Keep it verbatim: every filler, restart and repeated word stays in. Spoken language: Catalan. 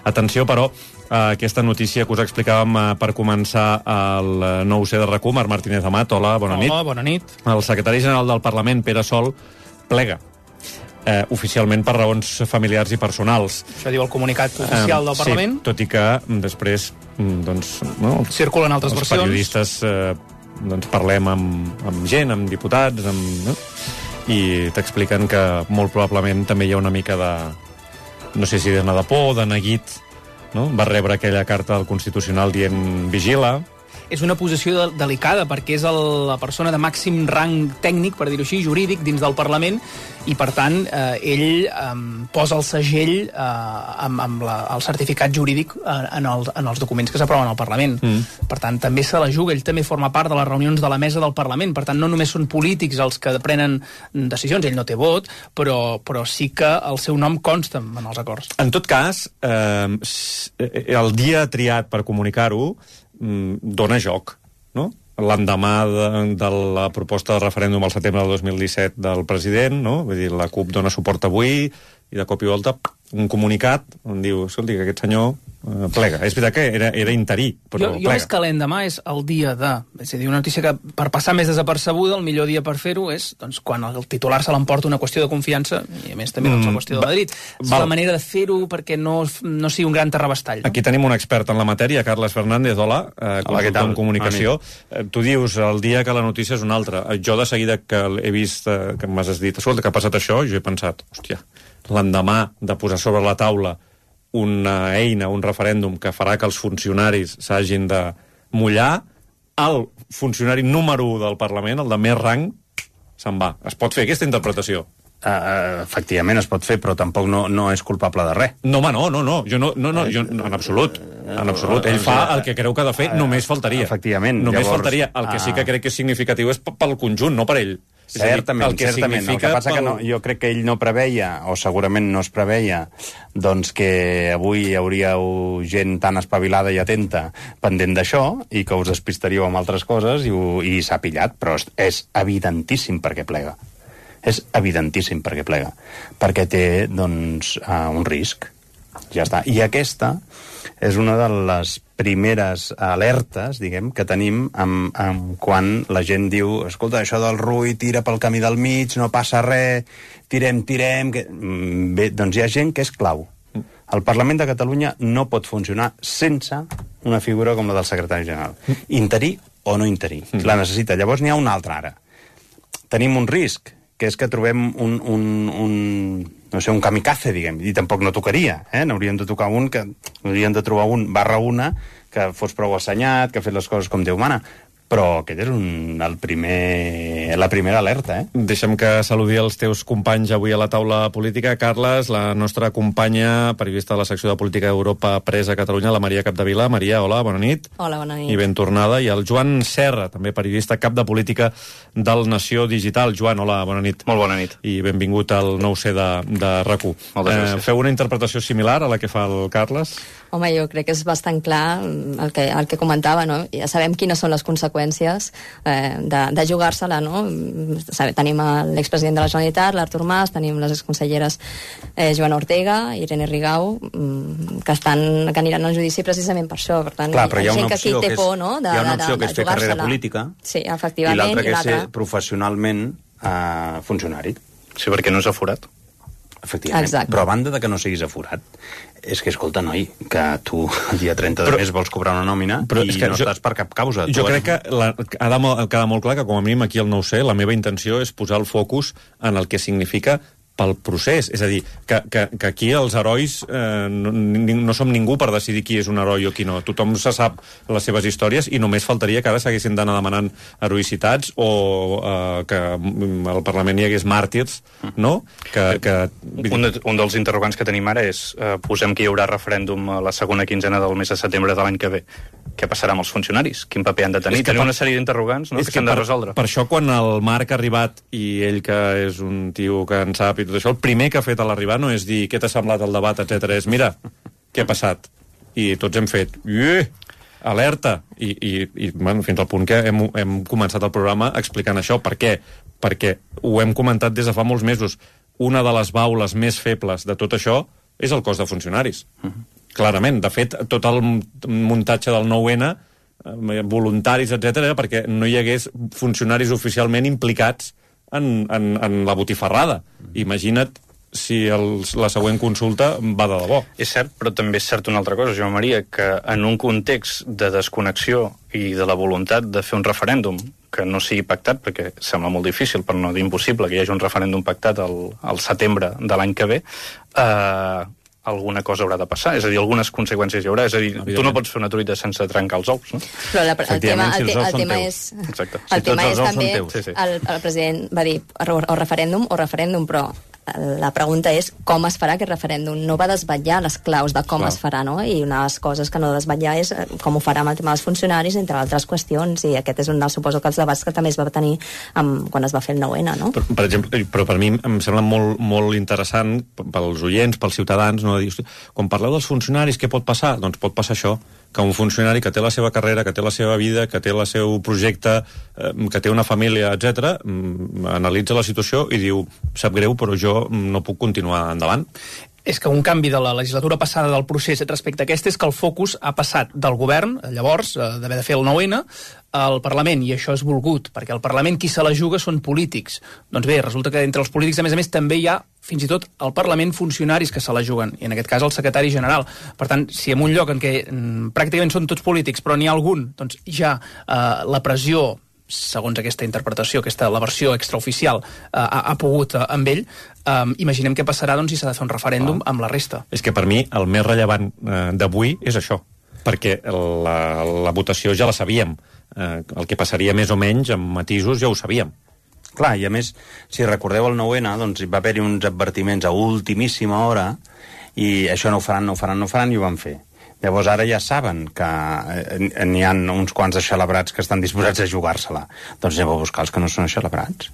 Atenció, però, a aquesta notícia que us explicàvem per començar el nou C de R A C U, Marc Martínez Amat. Hola, bona nit. Hola, bona nit. El secretari general del Parlament, Pere Sol, plega. Eh, oficialment per raons familiars i personals. Això diu el comunicat oficial del Parlament. Sí, tot i que després, doncs, no, circulen altres els versions. Els periodistes eh, doncs parlem amb, amb gent, amb diputats, amb, no? I t'expliquen que molt probablement també hi ha una mica de, no sé si de de por, de neguit, no? Va rebre aquella carta del Constitucional dient vigila. És una posició de, delicada, perquè és el, la persona de màxim rang tècnic, per dir-ho així, jurídic, dins del Parlament, i, per tant, eh, ell eh, posa el segell eh, amb, amb la, el certificat jurídic eh, en, els, en els documents que s'aproven al Parlament. Mm. Per tant, també se la juga, ell també forma part de les reunions de la mesa del Parlament, per tant, no només són polítics els que prenen decisions, ell no té vot, però, però sí que el seu nom consta en els acords. En tot cas, eh, el dia triat per comunicar-ho dona joc, no? L'endemà de, de la proposta de referèndum al setembre del dos mil disset del president, no? Vull dir, la CUP dona suport avui i de cop i volta un comunicat on diu, escolti, que aquest senyor eh, plega. És veritat que era, era interí, però jo, jo plega. més que l'endemà és el dia de... És a dir, una notícia que per passar més desapercebuda, el millor dia per fer-ho és doncs, quan el titular se l'emporta una qüestió de confiança, i a més també doncs, la qüestió de Madrid. És la manera de fer-ho perquè no, no sigui un gran terrabastall. No? Aquí tenim un expert en la matèria, Carles Fernández. Hola, eh, consultor en comunicació. Eh, tu dius el dia que la notícia és una altra. Jo de seguida que he vist, eh, que m'has dit, escolta, que ha passat això, jo he pensat, hòstia, l'endemà de posar sobre la taula una eina, un referèndum que farà que els funcionaris s'hagin de mullar, el funcionari número u del Parlament, el de més rang, se'n va. Es pot fer aquesta interpretació? Uh, efectivament es pot fer, però tampoc no, no és culpable de res. No, home, no, no, no. Jo no, no, no jo, en absolut. En absolut. Ell fa el que creu que ha de fer, només faltaria. Efectivament. Només Llavors, faltaria. El que sí que crec que és significatiu és pel conjunt, no per ell. Certament, el que certament. El que passa pel... que no, jo crec que ell no preveia, o segurament no es preveia, doncs que avui hi hauria gent tan espavilada i atenta pendent d'això i que us despistaríeu amb altres coses i, ho, i s'ha pillat, però és, és evidentíssim perquè plega. És evidentíssim perquè plega. Perquè té, doncs, uh, un risc. Ja està. I aquesta és una de les primeres alertes, diguem, que tenim amb, amb quan la gent diu, escolta, això del Rull tira pel camí del mig, no passa res, tirem, tirem... Que... Bé, doncs hi ha gent que és clau. El Parlament de Catalunya no pot funcionar sense una figura com la del secretari general. Interí o no interí. La necessita. Llavors n'hi ha una altra ara. Tenim un risc, que és que trobem un, un, un, no sé, un kamikaze, diguem, i tampoc no tocaria, eh? N'hauríem de tocar un, que hauríem de trobar un barra una que fos prou assenyat, que ha fet les coses com Déu mana. Però aquest és un, el primer, la primera alerta, eh? Deixa'm que saludi els teus companys avui a la taula política. Carles, la nostra companya, periodista de la secció de Política d'Europa presa a Catalunya, la Maria Capdevila. Maria, hola, bona nit. Hola, bona nit. I ben tornada. I el Joan Serra, també periodista, cap de política del Nació Digital. Joan, hola, bona nit. Molt bona nit. I benvingut al nou C de, de R A C U. Moltes eh, gràcies. Feu una interpretació similar a la que fa el Carles? Home, jo crec que és bastant clar el que, el que comentava, no? Ja sabem quines són les conseqüències eh, de, de jugar-se-la, no? Sabe, tenim l'expresident de la Generalitat, l'Artur Mas, tenim les exconselleres eh, Joana Ortega, Irene Rigau, que, estan, que aniran al judici precisament per això. Per tant, clar, però hi ha una opció que, que, és, por, no? de, hi ha una opció de, de, que és fer carrera política, sí, efectivament, i l'altra que i és ser professionalment eh, funcionari. Sí, perquè no és aforat. Efectivament. Exacte. Però a banda de que no siguis aforat, és que, escolta, noi, que tu el dia trenta de mes vols cobrar una nòmina i no jo, estàs per cap causa. Jo tu crec has... que la, ha de quedar molt clar que, com a mínim, aquí al nou C, la meva intenció és posar el focus en el que significa pel procés. És a dir, que, que, que aquí els herois eh, no, no som ningú per decidir qui és un heroi o qui no. Tothom se sap les seves històries i només faltaria que ara s'haguessin d'anar demanant heroïcitats o eh, que al Parlament hi hagués màrtirs, no? Que, que... Un, de, un dels interrogants que tenim ara és eh, posem que hi haurà referèndum a la segona quinzena del mes de setembre de l'any que ve. Què passarà amb els funcionaris? Quin paper han de tenir? Tenim per... una sèrie d'interrogants, no?, que s'han de resoldre. Per això, quan el Marc ha arribat i ell, que és un tio que en sap i tot això, el primer que ha fet a l'arribar no és dir què t'ha semblat el debat, etcètera. És, mira, què ha passat? I tots hem fet, Ieh! Alerta! I, i, i bueno, fins al punt que hem, hem començat el programa explicant això. Per què? Perquè ho hem comentat des de fa molts mesos. Una de les baules més febles de tot això és el cos de funcionaris. Uh-huh. Clarament. De fet, tot el muntatge del nou ene, voluntaris, etcètera, perquè no hi hagués funcionaris oficialment implicats en, en, en la botifarrada. Imagina't si el, la següent consulta va de debò. És cert, però també és cert una altra cosa, Joan Maria, que en un context de desconnexió i de la voluntat de fer un referèndum que no sigui pactat, perquè sembla molt difícil, per no dir impossible, que hi hagi un referèndum pactat al, al setembre de l'any que ve, eh, alguna cosa haurà de passar, és a dir, algunes conseqüències hi haurà, és a dir, tu no pots fer una truita sense trencar els ous, no? Però la, el tema, el, te, el tema és... Exacte. El si tema és també, sí, sí. El, el president va dir o, o referèndum o referèndum, però la pregunta és com es farà aquest referèndum. No va desvetllar les claus de com Clar. es farà, no? I una de les coses que no desvetllar és com ho farà amb el tema dels funcionaris, entre altres qüestions, i aquest és un dels, suposo que els debats que també es va tenir amb, quan es va fer el nou ene, no? Per, per exemple, però per mi em sembla molt, molt interessant pels oients, pels ciutadans, no? Dir, quan parleu dels funcionaris, què pot passar? Doncs pot passar això, que un funcionari que té la seva carrera, que té la seva vida, que té el seu projecte, eh, que té una família, etcètera, analitza la situació i diu, sap greu, però jo no puc continuar endavant. És que un canvi de la legislatura passada del procés respecte a aquest és que el focus ha passat del govern, llavors, d'haver de fer el nou ene, al Parlament, i això és volgut, perquè al Parlament qui se la juga són polítics. Doncs bé, resulta que entre els polítics, a més a més, també hi ha, fins i tot, al Parlament funcionaris que se la juguen, i en aquest cas el secretari general. Per tant, si en un lloc en què mm, pràcticament són tots polítics, però n'hi ha algun, doncs ja eh, la pressió, segons aquesta interpretació, aquesta la versió extraoficial, eh, ha, ha pogut eh, amb ell, eh, imaginem què passarà doncs, si s'ha de fer un referèndum ah. amb la resta. És que per mi el més rellevant eh, d'avui és això, perquè la, la votació ja la sabíem. Eh, el que passaria més o menys amb matisos ja ho sabíem. Clar, i a més, si recordeu el nou ene, doncs hi va haver-hi uns advertiments a ultimíssima hora i això no ho faran, no ho faran, no ho faran, i ho van fer. Llavors ara ja saben que n'hi ha uns quants aixelebrats que estan disposats a jugar-se-la. Doncs aneu a buscar els que no són aixelebrats.